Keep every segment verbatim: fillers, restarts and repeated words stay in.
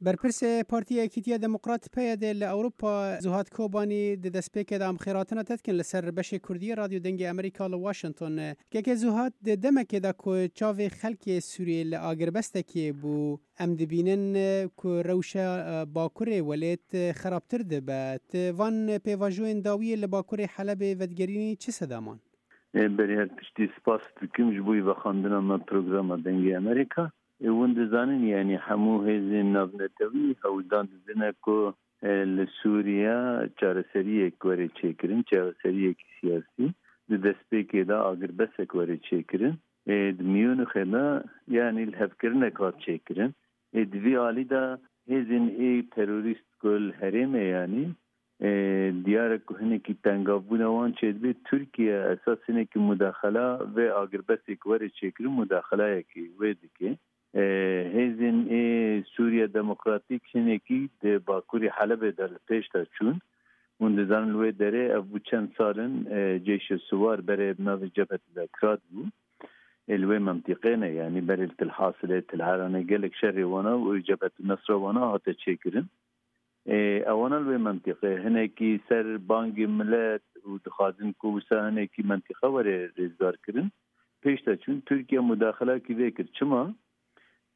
Berpirsê Partiya Yekîtiya Demokrat P Y D li Ewropa Zuhad Kobanî di destpêkê de em xêratina te dikin li ser beşê Kurdî Radyo Dengê Amerîka li Washington. Keke Zuhad, di demekê de ku çavê xelkê Sûriyê li agirbestekê bû, em dibînin ku rewşa, e, bakurê welêt, e, xerabtir dibe. Tu van pêvajoyên dawiyê li bakurê Helebê vedigerînî çi sedaman? E, berî her tiştî spas dikim ji bo vexwendina me programa Dengê Amerîka. E, hûn dizanin, yanî hemû hêzên navnetewî hewldan didine ku, e, li Sûriye çareseriyek were çêkirin, çareseriyekî siyasî, di destpêkê de agirbesek were çêkirin. E, di Miyûnixê de, yanî lihevkirinek hat çêkirin. E, di vî alî de hêzên ê terorîst ku li herêmê, yanî, e, diyar e ku hinekî tengavbûna wan çêdibe. Tirkiye esas hinekî mudaxela vê agirbestê ku were çêkirin, mudaxelayekî wê dike. E, hêzên ê Sûriya Demokratîk hinekî di bakurî Helebê de li pêş de çûn. Hûn dizanin li wê derê ev bû çend sal in, e, ceyşê siwar berê bi navê Cebhetul Ekrad bû. Ê li wê mentiqê ne, yanî berê li Til Hasilê, Til Heranê gelek şerê wana û Cebhetul Nesra wana hate çêkirin. Ê, ewana li wê mentiqê hinekî ser bangê milet û dixwazin ku wisa hinekî mentiqe were rêzdar kirin. Pêş de çûn, Tirkiye mudaxilakî vê kir. Çima?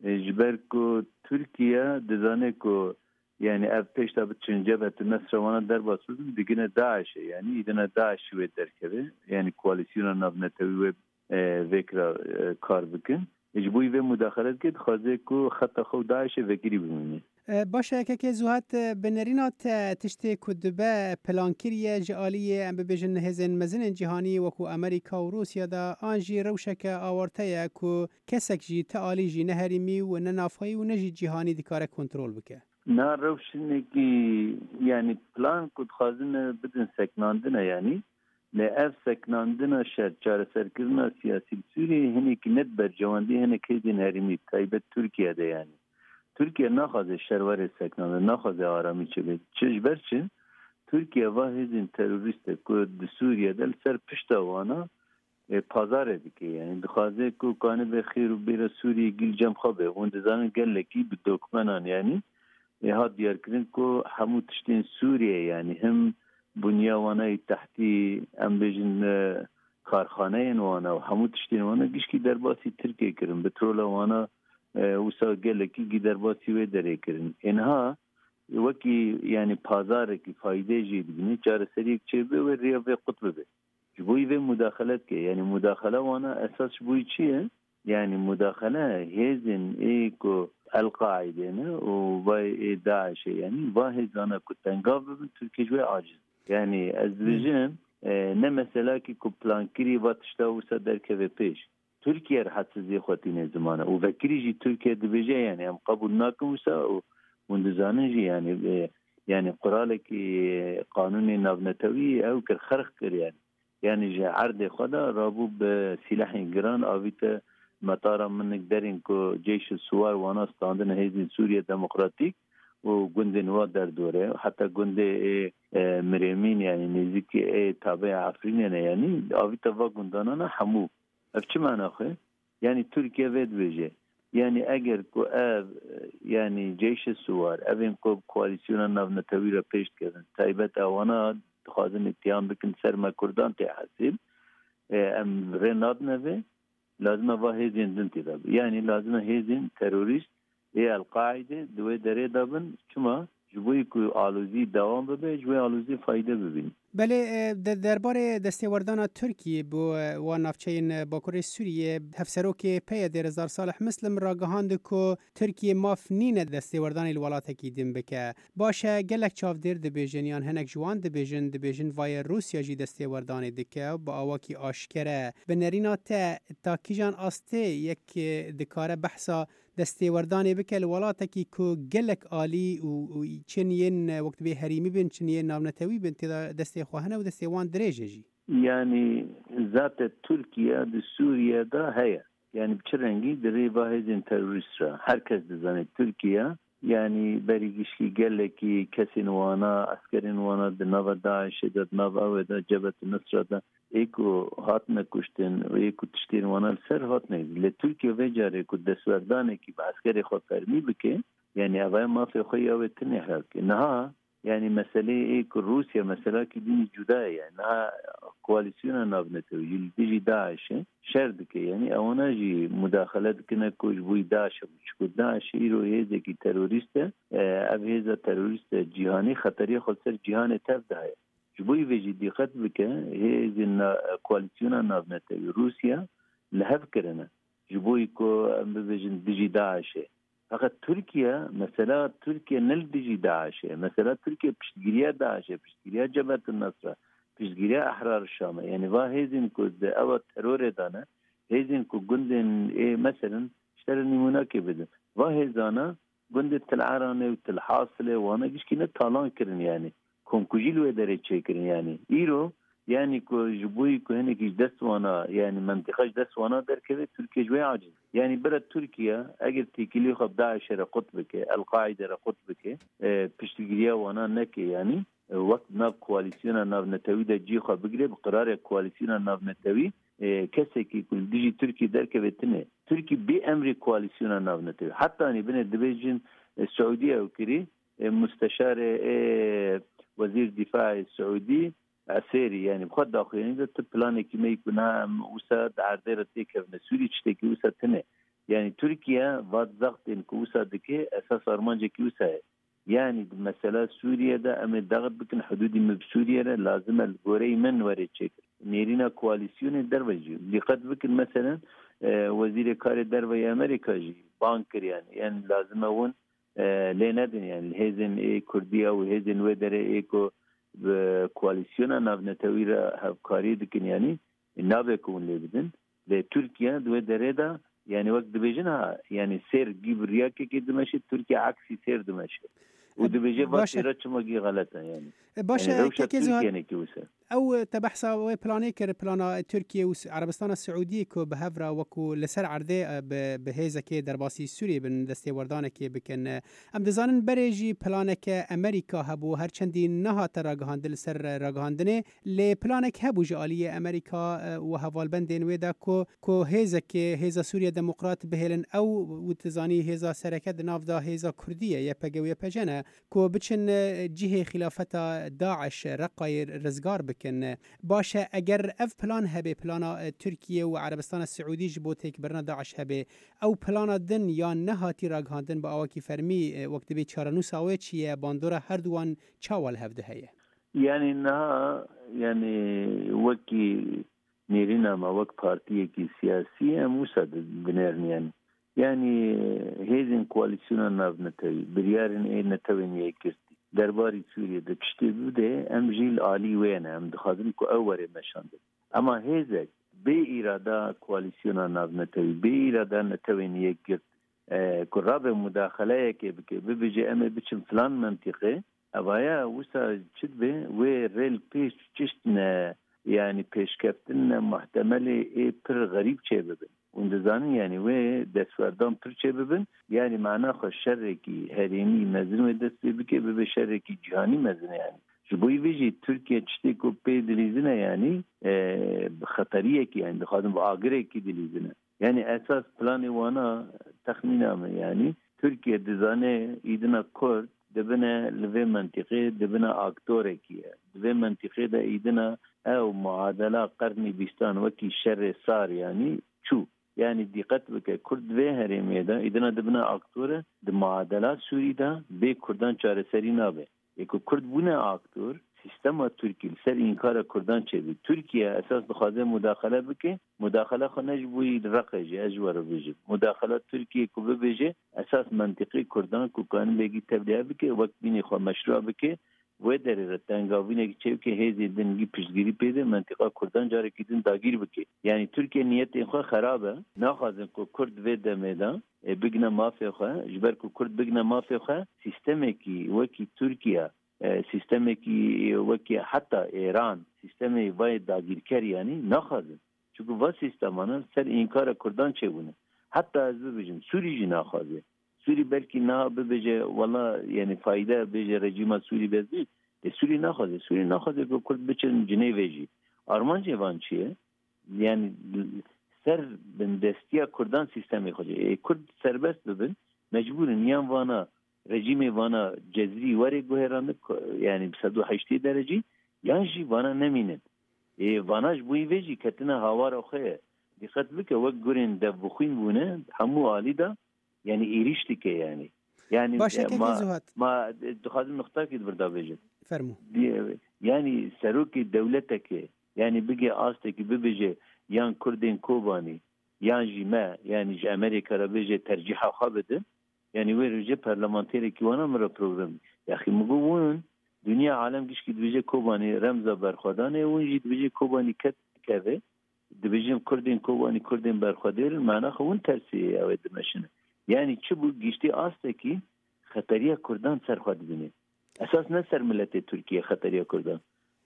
Ê, ji ber ku Tirkiye dizane ku, yanî, ev pêş de biçin Cebhetul Nesra wana derbas bibin, digine DAIŞ'ê, yanî, îdine DAIŞ'î wê derkeve, yanî, koalîsyona navnetewî wê, e, vê kira, e, kar bikin. Ji bo vê mudaxele dike, dixwaze ku xeta xwe û DAIŞ'ê vekirî bimîne. E, baş e, kekê Zuhat, e, bi nerîna te tiştê ku dibe plankirî ye ji aliyê, em bibêjin, hêzên mezin ên cîhanî wekû Amerîka û Rûsya de, an jî rewşeke awarte ye ku kesek jî ti alî jî ne herêmî û ne navxweyî û ne jî cîhanî dikare kontrol bike? Na rewşinekî, yanî plan ku dixwazin bidin seknandine, yanî, lê ev seknandina şer, çareserkirina siyasî li Sûriyeyê hinekî ne di bercewendî hinek hêzên herêmî, taybet Tirkiye de, yanî. Tirkiye naxwaze şer were seknandin, naxwaze aramî çêbe. Çi ji ber çi? Tirkiye va hêzên terorîst e ku di Sûriye de li ser pişta wana, e, pazarê dike. Yanî dixwaze ku kanibe xêr û bêra Sûriyê gîl cem xwe be. Hûn dizanin gelekî bi dokmenan, yanî, e, hat diyarkirin ku hemû tiştên Sûriyê, yanî him bunya wana yî tehtî, em bêjin, e, karxaneyên wana û hemû tiştên wana gişkî derbasî Tirkiyê kirin. Petrola wana, e, wisa gelekî gî derbasî wê derê kirin. Êniha wekî, yanî, pazarekî fayde jê dibîne, çareseriyek çêbe wê rêya vê qut bibe. Ji bo vê mudaxele dike. Yanî mudaxele wana esas ji bo çi ye? Yanî mudaxele hêzên ê ku El-Qaîde ne û vay ê DAIŞ'ê, yanî va hêzana ku tengav bibin, Tirkiye ji wê aciz. Yanî ez dibêjim, e, ne meselakî ku plankirî va tişta wisa derkeve pêş. Tirkiye rehetsiz zê xwe tîne zimane û vekirî jî Tirkiye dibêje, yanî em qebûl nakin wisa û hûn dizanin jî, yanî, e, yanî quralekî, e, qanûnê navnetewî ew kir, xerq kir, yanî. Yanî ji erdê xwe de rabû bi sîlehên giran avîte metara minik derên ku ceyşê siwar wana standine hêzên Sûriye Demokratîk û gundên wa derdore, heta gundê ê, e, Mirêmîn, yanî nêzîkî ê tabeya Efrînê ne, yanî avîte va gundanana hemû. Ev çi mana xwe? Yanî Tirkiye vê dibêje. Yanî eger ku ev, e, yanî ceyşê siwar, evên ku bi koalîsyona navnetewî re pêş dikevin, taybet ewana dixwazin îtîham bikin ser me Kurdan tê hesîl, e, em rê nadine vê, lazim e va hêzên din tê de bin. Yanî lazim e hêzên terorîst ê El-Qaîde di wê derê de bin. Çima? Ji bo ku alozî dewam bibe, ji wê alozî fayde bibîn. Belê, e, de-, derbarê destêwerdana Tirkiyê bo, e, wan navçeyên, e, Bakurê Sûriyê, Hevserokê P Y D'ê Rezdar Salih Muslim ragihand ku Tirkiye maf nîne destêwerdanê li welatekî din bike. Baş e, gelek çavdêr dibêjin yan hinek ji wan dibêjin, dibêjin vayê Rûsya jî destêwerdanê dike bi awakî aşkere. Bi nerîna te, ta kîjan astê yek, e, dikare behsa destêwerdanê bike li welatekî ku gelek alî û, û çin yên, e, wek dibê herêmî bin, çin yên navnetewî bin, tê de destê xwe hene û destê wan dirêj e jî? Yanî zate Tirkiye di Sûriye de heye. Yanî bi çi rengî? Di rê va hêzên terorîst re. Her kes dizane Tirkiye, yanî berî gişkî gelekî kesên wana, eskerên wana di nava DAIŞ'ê de, di nav ew de, Cebhet Nusra de, ê ku hatine kuştin û ê ku tiştên wana li ser hatine. Lê Tirkiye vê carê ku destwerdanekî bi eskerê xwe fermî bike, Yanî evaya mafê xwe ya wê tine hevke. Niha, yanî meseleyê ê ku Rûsya meselakî dînî cuda ye. Yanî niha koalîsyona navnetewî li dijî DAIŞ'ê şer dike. Yanî ewana jî mudaxele dikine ku ji bo DAIŞ e. Çiku DAIŞ îro hêzekî terorîst e. E, ev hêza terorîst e cîhanî xeteriya xwe ser cîhanê tev daye. Ji bo vê jî dîqet bike, hêzên na-, koalîsyona navnetewî Rûsya li hev kirine. Ji bo ku em bibêjin dijî DAIŞ'ê. Feqet Tirkiye, mesela Tirkiye ne li dijî DAIŞ'ê. Mesela Tirkiye piştgiriya DAIŞ'ê, piştgiriya Cebhetun Nusra, piştgiriya Ehrar Şam'ê. Yanî va hêzên ku di ewa terorê de ne, hêzên ku gundên ê, meselen, ji te re nîmûnakê bidim. Va hêzana gundê Til Eranê û Til Hasilê wana gişkî ne talan kirin yanî. Komkujî li wê derê çêkirin yanî. Îro, yanî ku ji bo ku hinekî ji dest wana, yanî mentiqa ji dest wana derkeve, Tirkiye ji wê aciz. Yanî bira Tirkiye eger têkilî xwe bi DAIŞ'ê re qut bike, El-Qaîde re qut bike, e, piştgiriya wana neke yanî, e, wek nav koalîsyona navnetewî de cî xwe bigire, bi qirarê koalîsyona navnetewî, e, kesekî ku li dijî Tirkiye derkeve tine. Tirkiye bê emrê koalîsyona navnetewî. Hetanî binê dibêjin, e, Siûdiye ew kirî, e, musteşarê, e, wezîr dîfaê Siûdî, Esêrî, yanî bi xwe daxuyanî de tu planekî me yî ku na em wisa di erdê re têkevine Sûrî, tiştekî wisa tine. Yanî Tirkiye va zextên ku wisa dike, esas armancekî wisa ye. Yanî di mesela Sûriye de em ê daxit bikin, hudûdî me bi Sûriye re lazim e li goreyî min were çêkir. Nêrîna koalîsyonê derve jî. Dîqet bikin, meselen, e, Wezîrê Karê Derve yê Amerîka jî bang kir, yanî, yanî lazim e hûn, e, lê nedin, yanî hêzên ê Kurdî ew hêzên wê derê ê ku bi koalîsyona navnetewî re hevkarî dikin, yanî nabe ku hûn lê bidin. Lê Tirkiye di wê derê de, yanî wek dibêjin ha, yanî sêr gî bi riyakekê dimeşe, Tirkiye aksî sêr dimeşe. Û dibêje va Baş e. Sêra çima gî xelet e, yanî. E, baş e, Yanî rewşa Kekê Zuhal. Tirkiye ne ki wisa. Ew, e, te behsa wê planê kir, plana, e, Tirkiye û S-, Erebistana Siûdî ku bi hev re wekû li ser erdê, e, bi, bi hêzekê derbasî Sûriyê bin, destêwerdanekê bikin. E, em dizanin berê jî planeke Amerîka hebû, her çendî nehate ragihandin, li ser ragihandinê, lê planek hebû ji aliyê Amerîka, e, û hevalbendên wê de ku, ku hêzekê, hêza Sûriye Demokrat bihêlin ew û tu zanî hêza sereke di nav de hêza Kurdî ye, Y P G û Y P J ne. Ku biçin, e, cihê xîlafeta DAIŞ Reqayê rizgar bikin. Baş e, eger ev plan hebe, plana, e, Tirkiye û Erebistana Siûdî ji bo têkbirina DAIŞ hebe, ew plana din ya nehatî ragihandin bi awakî fermî, e, wek dibê çarenûsa wê çi ye, bandora herduwan çawa li hev de heye? Yanî niha, yanî wekî nêrîna me, wek partiyekî siyasî em wisa di-, dinêrin yanî. Yanî hêzên koalîsyona navnetewî, biryarên ê Netewên Yekgirtî, derbarî Sûriyê de tiştê bide, em jî li alî wê ne, em dixwazin ku ew were meşandin. Ema hêzek bê îrada koalîsyona navnetewî, bê îrada Netewên Yekgirt, e, ku rabe mudaxeleyekê bike, bibêje em ê biçin filan mentiqê, evaya wisa çi dibe, wê rê li pêş çişt ne, yanî pêşkeftin ne, muhtemelê ê pir xerîb çêbibin. Hûn dizanin, yanî wê destwerdan pir çêbibin, yanî mana xwe şerekî herêmî mezin wê dest pê bike, bibe şerekî cîhanî mezin e yanî. Ji bo vê jî Tirkiye tiştê ku pê dilîzine yanî, e, bi xeteriyekî, yanî dixwazin bi agirekî dilîzine. Yanî esas planê wana, texmîna min, yanî Tirkiye dizane îdina Kurd dibine li vê mentiqê, dibine aktorekî ye. Di vê mentiqê de îdina ew muadela qernî bîstan wekî şerê sar yanî çû. Yanî dîqet bike, Kurd di vê herêmê de îdina dibine aktore, di muadela Sûrî de bê Kurdan çareserî nabe. Ê ku Kurd bûne aktor, sîstema Tirkî li ser înkara Kurdan çêbî. Tirkiye esas dixwaze mudaxele bike, mudaxele xwe ne ji bo yî li Reqê jî, ez ji we re bêjim. Mudaxela Tirkiye ku bibêje, esas mentiqê Kurdan ku kanibekî tevlî bike, wek dînê xwe meşrû bike, wê derê re tengavînekî çêbike, hêzên din gî piştgirî pê de, mentiqa Kurdan carekî din dagîr bike. Yanî Tirkiye niyetên xwe xerab e, naxwazin ku Kurd vê demê de, e, bigine mafê xwe, ji ber ku Kurd bigine mafê xwe, sîstemekî wekî Tirkiye, e, sîstemekî wekî heta Êran, sîstemê vayê dagîrker yanî naxwazin. Çunku va sîstemana ser înkara Kurdan çêbûne. Heta ez bibêjim, Sûrî jî naxwaze. Sûrî belkî niha bibêje, wela, yanî fayde bêje rejîma Sûrî bezî. Lê Sûrî naxwaze. Sûrî naxwaze ku Kurd biçin Cinêvê jî. Armancê van çi ye? Yanî ser bindestiya Kurdan sîstemê xwe. Ê Kurd serbest bibin, mecbûr in yan vana rejîmê vana cezrî were guherandin, ko-, yanî bi sed û heştê derecî, yan jî vana nemînin. Ê, vana ji bo vê jî ketine hawara xwe ye. Dîqet bike, wek gurên dev bi xwîn bûne, hemû alî de, yanî êrîş dike yanî. Yanî, Baş e, e, kekê ma, Zuhat. Ma, e, dixwazim nuqtakî di vir de bêjim. Fermû. Di-, yanî serokê dewleteke, yanî bige astekî bibêje yan Kurdên Kobanî, yan jî me, yanî ji Amerîka re bêje tercîha xwe bidin. Yanî wê rojê parlamenterekî wana min re program. Yaxî min got, hûn, dinya alem gişkî dibêje Kobanî remza berxwedanê, hûn jî dibêje Kobanî ket keve. Dibêjin Kurdên Kobanî, Kurdên berxwedêr in, mana xwe hûn tersê ew ê dimeşine. Yanî çi bû, giştî astekî xeteriya Kurdan ser xwe dibîne. Esas ne ser miletê Tirkiye xeteriya Kurdan.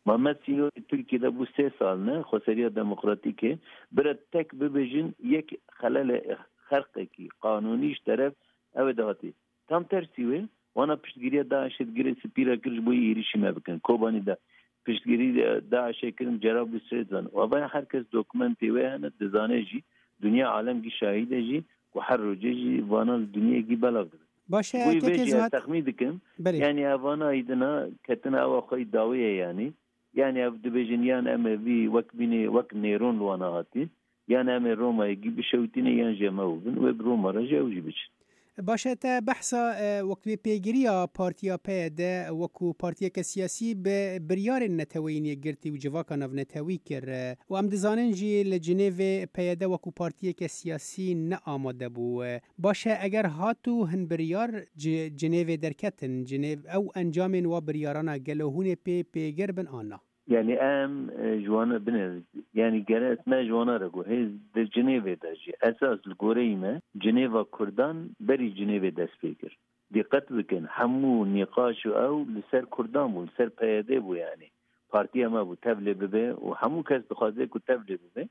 Ma me sînorê Tirkiye de bû sê sal ne, xweseriya demokratîk e. Bira tek bibêjin yek xelele xerqekî qanûnî ji teref ew ê de hatî. Tam tersî wê, wana piştgiriya DAIŞê di Girê Spî re kir ji bo yê êrîşî me bikin. Kobanî de piştgirî DAIŞê kirin, Cerablus Rêzan. Ava her kes dokumentê wê hene, dizane jî, dinya alem gî şahîd e jî, ku her rojê jî vana li dinyê gî belav dibin. Baş e, Wî vê kekê jî ez Zuhat. Texmîn dikim. Belê. Yanî evana îdina ketina ewa xwe dawî ye yanî. Yanî ev dibêjin yan em ê vî wek bînê, wek Nêron li wana hatî. Yan em ê Romayê gî bişewitîne yan jî em ew bin. Wê bi Roma re jî ew jî biçin. Baş e, te behsa, e, wek wê pêgiriya partiya P Y D wekû partiyeke siyasî bi biryarên Neteweyên Yekgirtî û civaka navnetewî kir, e, û em dizanin jî li Cinêvê P Y D wekû partiyeke siyasî ne amade bû. E, baş e, eger hat û hin biryar ci-, Cinêvê derketin, Cinêv ew encamên wa biryarana gelo hûn ê pê pêgir bin an na? Yanî em, e, ji wana binêrin. Yanî gere me ji wana re got. Hêz di Cinêvê de jî esas li goreyî me Cinêva Kurdan berî Cinêvê dest pê kir. Dîqet bikin, hemû nîqaş û ew li ser Kurdan bû, li ser P Y D bû yanî. Partiya me bû, tevlê bibe û hemû kes dixwaze ku tevlê bibe.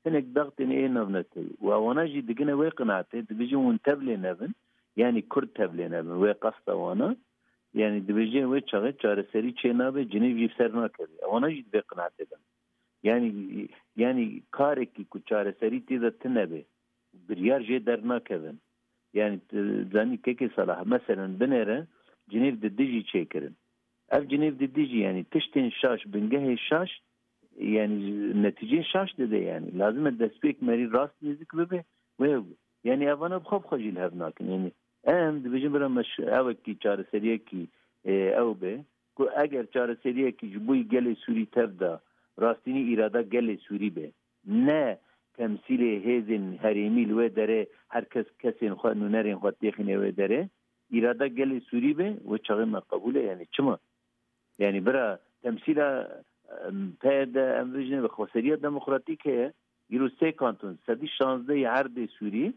Hinek daxtên ê navnetewî. Û ewana jî digine wê qinaetê, dibêjin hûn tevlê nebin, yanî Kurd tevlê nebin. Wê qasta wana, yanî dibêje wê çaxê çareserî çê nabe, Cinêv jî ser nakeve. Ewana jî di vê qinaetê de ne. Yanî, yanî karekî ku çareserî tê de tune be, biryar jê dernakevin. Yanî, tu zanî kekê Salah, meselen binêre Cinêv di dijî çêkirin. Ev Cinêv di dijî, yanî tiştên şaş, bingehê şaş, yanî netîceyê şaş dide yanî. Lazim e destpêk merî rast nêzik bibe, wê, yanî evana bi xwe bi xwe jî li hev nakin. Yanî em dibêjin bira me ş-, ewekî çareseriyekî, e, ew be, ku eger çareseriyekî ji bo gelê Sûrî tev de rastînî îrada gelê Sûrî be, ne temsîlê hêzên herêmî li wê derê her kes kesên xwe, nûnerên xwe têxîne wê derê, îrada gelê Sûrî be, wê çaxê me qebûl e, yanî çima? Yanî bira temsîla, em, P Y D, em vê jî ne be xweseriya demokratîk heye, îro sê kanton, sedî şazdeh yê erdê Sûrî,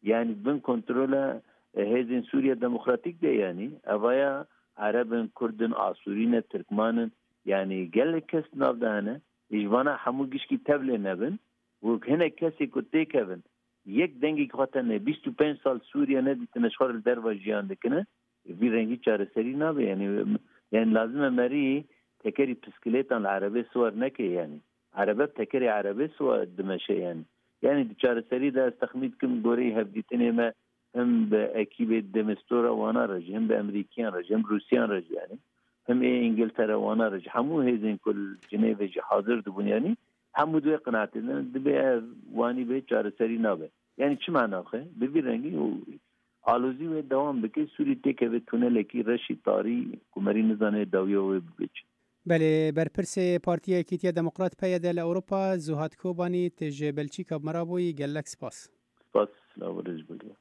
yanî bin kontrola, e, hêzên Sûriya Demokratîk de yanî, evaya Ereb in, Kurd in, Asûrî ne, Tirkman in, yanî gelek kes nav de hene, ji vana hemû gişkî tevlê nebin, û hinek kesê ku têkevin, yek dengekî xwe tene, bîst û pênc sal Sûriye nedîtine, ji xwe re li derva jiyan dikine, vî rengî çareserî nabe. Yanî, yanî lazim e merî tekerî piskilêtan li erebê siwar neke yanî. Erebe bi tekerê erebê siwar dimeşe yanî. Yanî di çareserî de ez texmîn dikim goreyî hevdîtinê me him bi ekîbê Demîstora wana re jî, him bi Emerîkiyan re jî, him Rûsiyan re jî yanî, him ê Îngiltere wana re jî, hemû hêzên ku li Cinêvê jî hazir dibûn yanî, hemû di wê qinaetê de ne, dibê ev wanî bê çareserî nabe. Yanî çi mana xwe? Bi vî rengî û alozî wê dewam bike, Sûrî têkeve tunelekî reşî tarî ku merî nizane dawiya wê bibe çi. Belê, berpirsê Partiya Yekîtiya Demokrat P Y D li Ewropa, Zuhat Kobanî, tu ji Belçîka bi me re bûyî, gelek spas. Spas, silav û rêz bo we.